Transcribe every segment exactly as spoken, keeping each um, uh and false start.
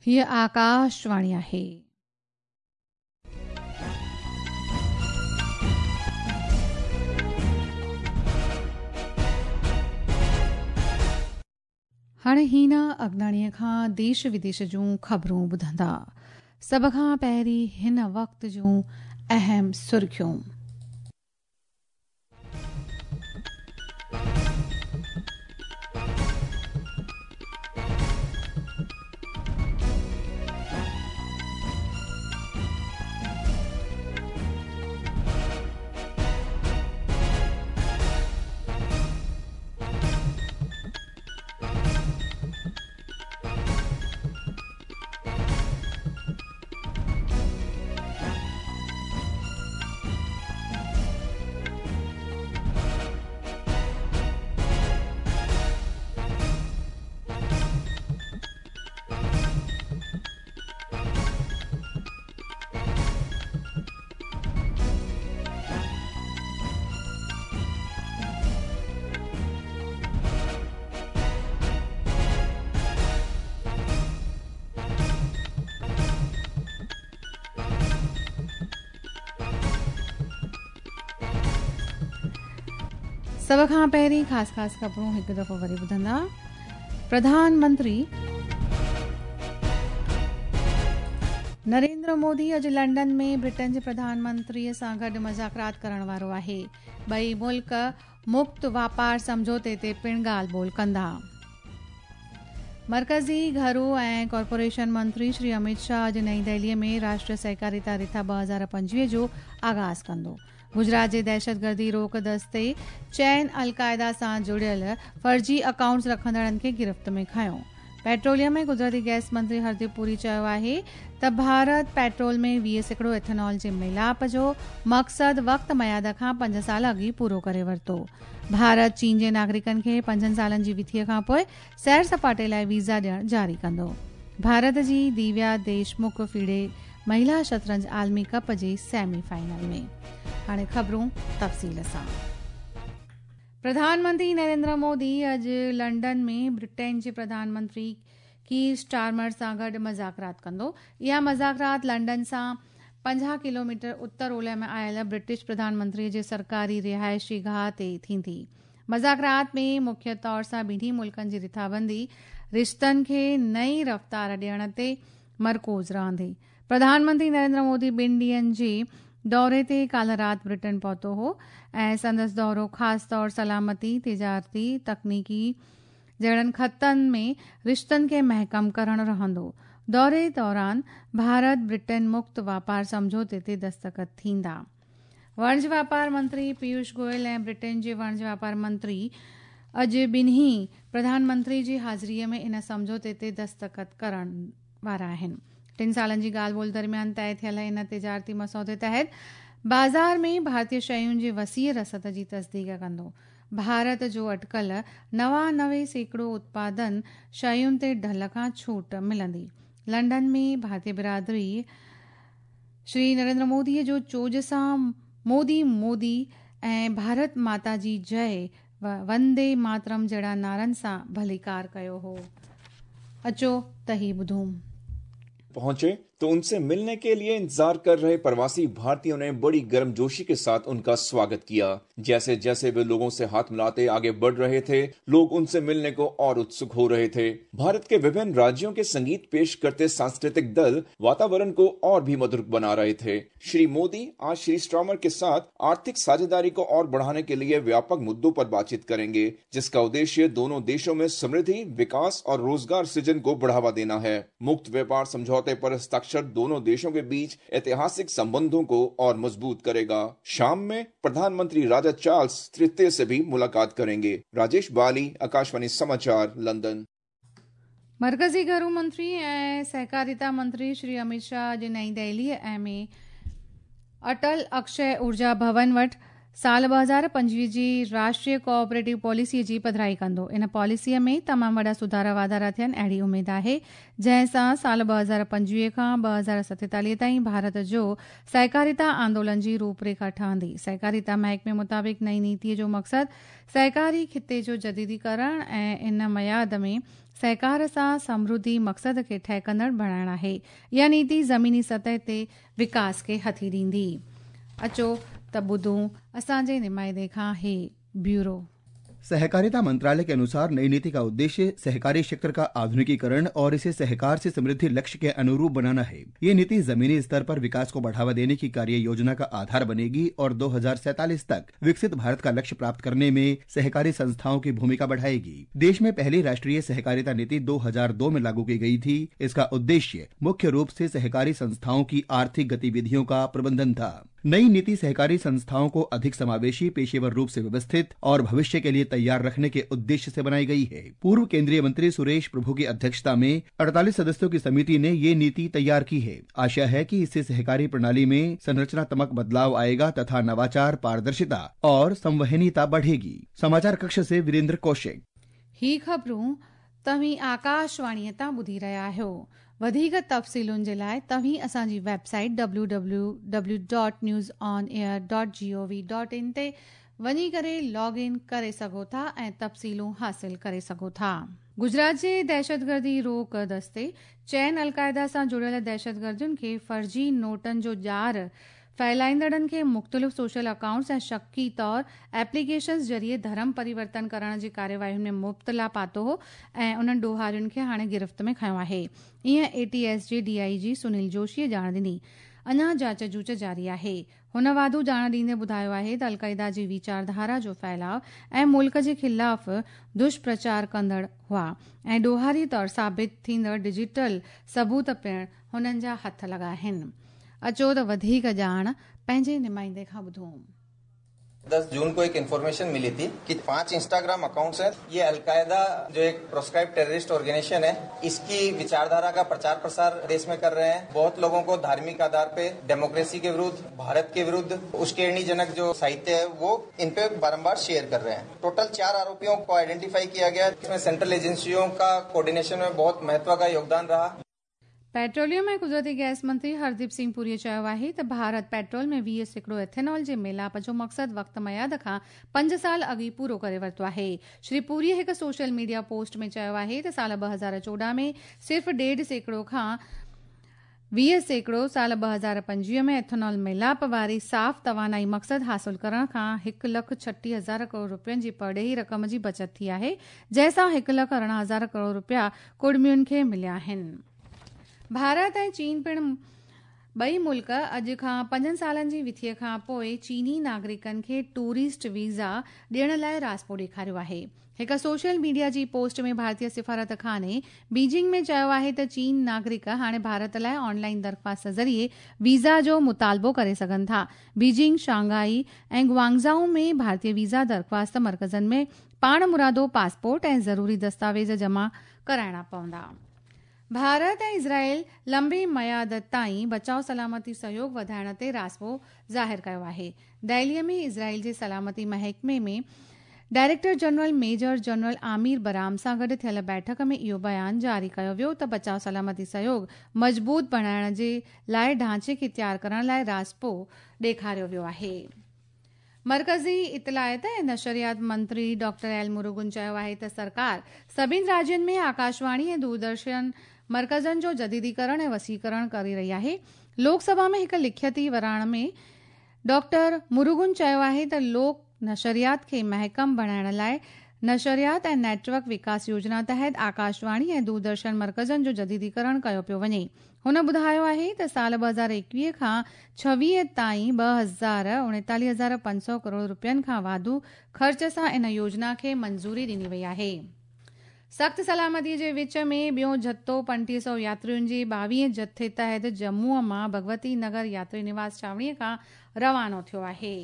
हीअ आकाशवाणी आहे। हाणे हीना अगनाणीअ खां देश विदेश जूं ख़बरूं ॿुधंदा। सभ खां पहिरीं हिन वक़्त जूं अहम सुर्खियूं। सभ खां पहिरीं ख़ासि ख़ासि ख़बरूं हिकु दफ़ो वरी ॿुधंदा। प्रधानमंत्री नरेंद्र मोदी अॼु लंडन में ब्रिटेन जे प्रधानमंत्रीअ सां गॾु मुज़ाकरात करण वारो आहे। ॿई मुल्क मुक्त वापार सम्झौते ते पिणु ॻाल्हि ॿोल कंदा। मर्कज़ी घरू ऐं कॉरपोरेशन मंत्री श्री अमित शाह अॼु नई दिल्लीअ में राष्ट्रीय सहकारिता रिथा ॿ हज़ार पंजवीह जो आगाज़ कंदो। गुजरात जे दहशतगर्दी रोक दस्ते चैन अलकायदा सां जुड़ियल फर्जी अकाउंट्स रखंदड़नि खे गिरफ्त में खयो। पेट्रोलियम ऐं कुदरती गैस मंत्री हरदीप पुरी चयो आहे त भारत पेट्रोल में वीह सैकड़ो एथेनॉल जे मिलाप जो मक़सदु वक़्त मयाद खां पंज साल अॻु पूरो करे वरितो। भारत चीन जे नागरिकनि खे पंजनि सालनि जी विथिअ खां पोइ सैर सपाटे लाइ वीज़ा ॾियणु जारी कंदो। भारत जी दिव्या देशमुख फीडे महिला शतरंज आलमी कप जे सेमी फाइनल में। हाणे ख़बरूं तफ़सील सां। प्रधानमंत्री नरेंद्र मोदी अॼु लंडन में ब्रिटेन जे प्रधानमंत्री कीर स्टारमर सां गॾु मुज़ाकरात कंदो। इहा मुज़ाकरात लंडन सां पंजाह किलोमीटर उत्तर ओलह में आयल ब्रिटिश प्रधानमंत्री जे सरकारी रिहाइशी गाह ते थींदी। मुज़ाकरात में मुख्य तौर सां ॿिन्ही मुल्कनि जी रिथाबंदी रिश्तनि खे नई रफ़्तार ॾियण ते मरकूज़ रहंदी। प्रधानमंत्री नरेंद्र मोदी ॿिनि ॾींहंनि जे दौरे ते काल्ह राति ब्रिटेन पहुतो हो ऐं संदसि दौरो ख़ासि तौर सलामती, तिजारती, तकनीकी जहिड़नि ख़तनि में रिश्तनि खे महकम करणु रहंदो। दौरे दौरान भारत ब्रिटेन मुक्त वापार सम्झौते ते दस्तख़त थींदा। वणज वापार मंत्री पीयूष गोयल ऐं ब्रिटेन जे वणज वापार मंत्री अॼु ॿिन्ही प्रधानमंत्री जी हाज़िरीअ में इन सम्झौते ते दस्तख़त करण वारा आहिनि। टिनि सालनि जी ॻाल्हि ॿोल दरमियान तय थियल इन तिजारती मसौदे तहत बाज़ार में भारतीय शयुनि जी वसीअ रसद जी तस्दीक कंदो। भारत जो अटकल नवानवे सैकड़ो उत्पादन शयुनि ते ढल खां छूट मिलंदी। लंडन में भारतीय बिरादरी श्री नरेंद्र मोदीअ जो चोज सां मोदी मोदी ऐं भारत माता जी जय वंदे मातरम जहिड़ा नारनि सां भलीकार कयो हो। अचो त ही ॿुधूं। पहुंचे तो उनसे मिलने के लिए इंतजार कर रहे प्रवासी भारतीयों ने बड़ी गर्मजोशी के साथ उनका स्वागत किया। जैसे जैसे वे लोगों से हाथ मिलाते आगे बढ़ रहे थे, लोग उनसे मिलने को और उत्सुक हो रहे थे। भारत के विभिन्न राज्यों के संगीत पेश करते सांस्कृतिक दल वातावरण को और भी मधुर बना रहे थे। श्री मोदी आज श्री स्टार्मर के साथ आर्थिक साझेदारी को और बढ़ाने के लिए व्यापक मुद्दों पर बातचीत करेंगे, जिसका उद्देश्य दोनों देशों में समृद्धि, विकास और रोजगार सृजन को बढ़ावा देना है। मुक्त व्यापार समझौते पर हस्ताक्षर दोनों देशों के बीच ऐतिहासिक संबंधों को और मजबूत करेगा। शाम में प्रधानमंत्री राजा चार्ल्स तृतीय से भी मुलाकात करेंगे। राजेश बाली, आकाशवाणी समाचार, लंदन। मरकज़ी घरू मंत्री ऐं सहकारिता मंत्री श्री अमित शाह अॼु नई दिल्लीअ में अटल अक्षय ऊर्जा भवन वटि साल ॿ हज़ार पंजवीह जी राष्ट्रीय कोऑपरेटिव पॉलिसीअ जी पधराई कंदो। इन पॉलिसीअ में तमामु वॾा सुधारा वाधारा थियनि अहिड़ी उमेद आहे, जंहिं सां साल ॿ हज़ार पंजवीह खां ॿ हज़ार सतेतालीह ताईं भारत जो सहकारिता आंदोलन जी रूपरेखा ठहंदी। सहकारिता महकमे मुताबिक़ नई नीतीअ जो मक़सदु सहकारी खिते जो जदीदीकरण ऐं इन मयाद में सहकार सां समृद्धि मक़सद खे ठहकंदड़ बणाइण आहे। इहा नीति ज़मीनी सतह ते विकास खे हथी ॾींदी। अचो त ॿुधूं असांजे नुमाइंदे खां हे ब्यूरो। सहकारिता मंत्रालय के अनुसार नई नीति का उद्देश्य सहकारी क्षेत्र का आधुनिकीकरण और इसे सहकार से समृद्धि लक्ष्य के अनुरूप बनाना है। ये नीति जमीनी स्तर पर विकास को बढ़ावा देने की कार्य योजना का आधार बनेगी और दो हजार सैतालीस तक विकसित भारत का लक्ष्य प्राप्त करने में सहकारी संस्थाओं की भूमिका बढ़ाएगी। देश में पहली राष्ट्रीय सहकारिता नीति दो हजार दो में लागू की गई थी। इसका उद्देश्य मुख्य रूप से सहकारी संस्थाओं की आर्थिक गतिविधियों का प्रबंधन था। नई नीति सहकारी संस्थाओं को अधिक समावेशी, पेशेवर रूप से व्यवस्थित और भविष्य के लिए तैयार रखने के उद्देश्य से बनाई गई है। पूर्व केंद्रीय मंत्री सुरेश प्रभु की अध्यक्षता में अड़तालीस सदस्यों की समिति ने ये नीति तैयार की है। आशा है कि इससे सहकारी प्रणाली में संरचनात्मक बदलाव आएगा तथा नवाचार, पारदर्शिता और संवहनीयता बढ़ेगी। समाचार कक्ष से वीरेंद्र कौशिक। ही ख़बरूं तव्हीं आकाशवाणीअ तां ॿुधी रहिया आहियो। वधीक तफ़सीलुनि जे लाइ तव्हीं असांजी website W W W dot news on air dot G O V dot in ते वञी करे लॉग इन करे सघो था ऐं तफ़सीलूं हासिल करे सघो था। गुजरात जे दहशतगर्दी रोक दस्ते चइनि अलकायदा सां जुड़ियल दहशतगर्दुनि खे फर्जी नोटनि जो ॼार फैलाईंदड़नि खे मुख़्तलिफ़ सोशल अकाउंट्स ऐं शकी तौर एप्लीकेशंस ज़रिए धर्म परिवर्तन करण जी कार्यवाही में मुब्तला पातो हो ऐं उन्हनि ॾोहारियुनि खे हाणे गिरफ़्त में खयो आहे। ईअं A T S J D I जी सुनील जोशीअ ॼाण ॾिनी। अञा जांच जूच जारी आहे। हुन वाधू ॼाण ॾींदे ॿुधायो आहे त अलकायदा जी वीचारधारा जो फैलाव ऐं मुल्क जे ख़िलाफ़ दुष्प्रचार कंदड़ हुआ ऐं ॾोहारी तौर साबित थींदड़ डिजिटल सबूत पिणु हुननि जा हथ लॻा आहिनि। अचो त वधीक ॼाण पंहिंजे नुमाइंदे खां ॿुधूं। दस जून को एक इन्फॉर्मेशन मिली थी कि पांच इंस्टाग्राम अकाउंट्स हैं, ये अलकायदा जो एक प्रोस्क्राइब टेररिस्ट ऑर्गेनाइजेशन है, इसकी विचारधारा का प्रचार प्रसार देश में कर रहे हैं। बहुत लोगों को धार्मिक आधार पे डेमोक्रेसी के विरुद्ध, भारत के विरुद्ध उश्केरणीजनक जो साहित्य है वो इन पे बारम्बार शेयर कर रहे हैं। टोटल चार आरोपियों को आइडेंटिफाई किया गया। इसमें सेंट्रल एजेंसियों का कोऑर्डिनेशन में बहुत महत्व का योगदान रहा। पेट्रोलियम ऐं कुदरती गैस मंत्री हरदीप सिंह पुरीअ चयो आहे त भारत पेट्रोल में वीह सैकड़ो एथेनॉल जे मिलाप जो मक़सदु वक़्त मयाद खां पंज साल अॻु पूरो करे वरितो आहे। श्री पुरीअ हिकु सोशल मीडिया पोस्ट में चयो आहे त साल ॿ हज़ार चोॾहं में सिर्फ़ ॾेढ सैकड़ो खां वीह सैकड़ो साल ॿ हज़ार पंजवीह में एथेनॉल मिलाप वारी साफ़ तवानाई मक़सदु हासिल करण खां हिकु लख छटीह हज़ार करोड़ रुपयनि जी परॾेही रक़म जी बचत थी आहे, जंहिंसां हिकु लख अरिड़हं हज़ार करोड़ रुपया कुड़मियुनि खे मिलिया आहिनि। भारत ऐं चीन पिणु ॿई मुल्क अॼु खां पंजनि सालनि जी विथीअ खां पोइ चीनी नागरिकनि खे टूरिस्ट वीज़ा ॾियण लाइ रास्पो ॾेखारियो आहे। हिकु सोशल मीडिया जी पोस्ट में भारतीय सिफारत खाने बीजिंग में चयो आहे त चीन नागरिक हाणे भारत लाइ ऑनलाइन दरख़्वास्त ज़रिए वीज़ा जो मुतालबो करे सघनि था। बीजिंग, शंघाई ऐं ग्वांगझाऊ में भारतीय वीज़ा दरख़्वास्त मर्कज़नि में पाण मुरादो पासपोर्ट ऐं ज़रूरी दस्तावेज़ जमा कराइणा पवंदा। भारत ऐं इज़राइल लंबे मयाद ताईं बचाव सलामती सहयोग वधाइण ते रास्पो ज़ाहिर कयो आहे। दिल्लीअ में इज़राइल जे सलामती महकमे में director general major general Amir Baram सां गॾु थियल बैठक में इहो बयान जारी कयो वियो त बचाव सलामती सहयोग मज़बूत बणाइण जे लाइ ढांचे खे तयार करण लाइ रास्पो ॾेखारियो वियो आहे। मरकज़ी इतलायत ऐं नशरियात मंत्री डॉक्टर एल मुरुगन चयो आहे त सरकार सभिनी राज्यनि में आकाशवाणी ऐं दूरदर्शन मर्कज़नि जो जदीदीकरण ऐं वसीकरण करे रही आहे। लोकसभा में हिकु लिखियती वराण में डॉक्टर मुरुगन चयो आहे त लोक नशरियात खे महकम बणाइण लाइ नशरियात ऐं नेटवर्क विकास योजना तहत आकाशवाणी ऐं दूरदर्शन मर्कज़नि जो जदीदीकरण कयो पियो वञे। हुन ॿुधायो आहे त साल ॿ हज़ार एकवीह खां छवीह ताईं ॿ हज़ार उणेतालीह हज़ार पंज सौ करोड़ रुपयनि खां वाधू ख़र्च सां इन योजना खे मंज़ूरी ॾिनी वई आहे। सख़्त सलामतीअ जे विच में ॿियो जत्थो पंटीह सौ यात्रियुनि जे ॿावीह जत्थे तहत जम्मूअ मां भगवती नगर यात्री निवास छावणीअ खां रवानो थियो आहे।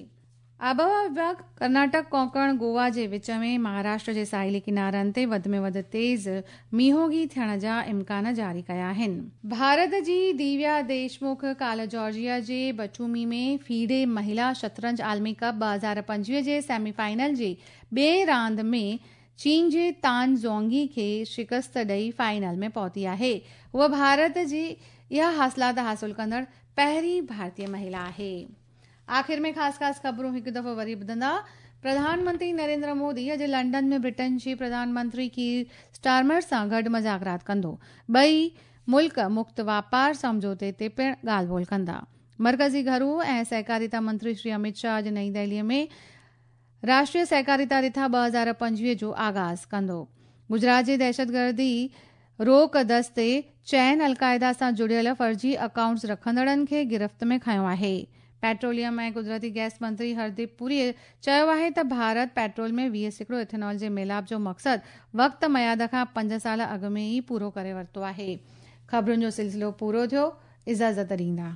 आबहवा विभाग कर्नाटक, कोंकण, गोवा जे विच में महाराष्ट्र जे साहिली किनारनि ते वधि में वधि तेज़ मींहोगी थियण जा इम्कान जारी कया आहिनि। भारत जी दिव्या देशमुख काल जॉर्जिया जे बटूमी में फीडे महिला शतरंज आलमी कप ॿ हज़ार पंजवीह जे सेमीफाइनल जी ॿिए रांदि में चीन जे तान ज़ोंगी खे शिकस्त ॾेई फाइनल में पहुती आहे। हूअ भारत जी इहा हासिलात हासिल कंदड़ पहिरीं भारतीय महिला आहे। आख़िर में ख़ासि ख़ासि ख़बरूं हिकु दफ़ो वरी ॿुधंदा। प्रधानमंत्री नरेंद्र मोदी अॼु लंडन में ब्रिटेन जे प्रधानमंत्री कीर स्टारमर सां गॾु मुज़ाकरात कंदो। ॿई मुल्क मुक्त वापार सम्झौते ते पिणु ॻाल्हि ॿोल कंदा। मर्कज़ी घरू ऐं सहकारिता मंत्री श्री अमित शाह अॼु नई दिल्लीअ में राष्ट्रीय सहकारिता रिथा ॿ हज़ार पंजवीह जो आगाज़ कंदो। गुजरात जे दहशतगर्दी रोक दस्ते चइनि अलकायदा सां जुड़ियल फर्जी अकाउंट्स रखंदड़नि खे गिरफ्त में खयो आहे। पेट्रोलियम ऐं कुदरती गैस मंत्री हरदीप पुरी चयो आहे त भारत पेट्रोल में वीह सैकड़ो इथेनॉल जे मिलाप जो मक़सदु वक़्त मयाद खां पंज साल अॻु में ई पूरो करे वरितो आहे। ख़बरुनि जो सिलसिलो पूरो थियो। इजाज़त ॾींदा।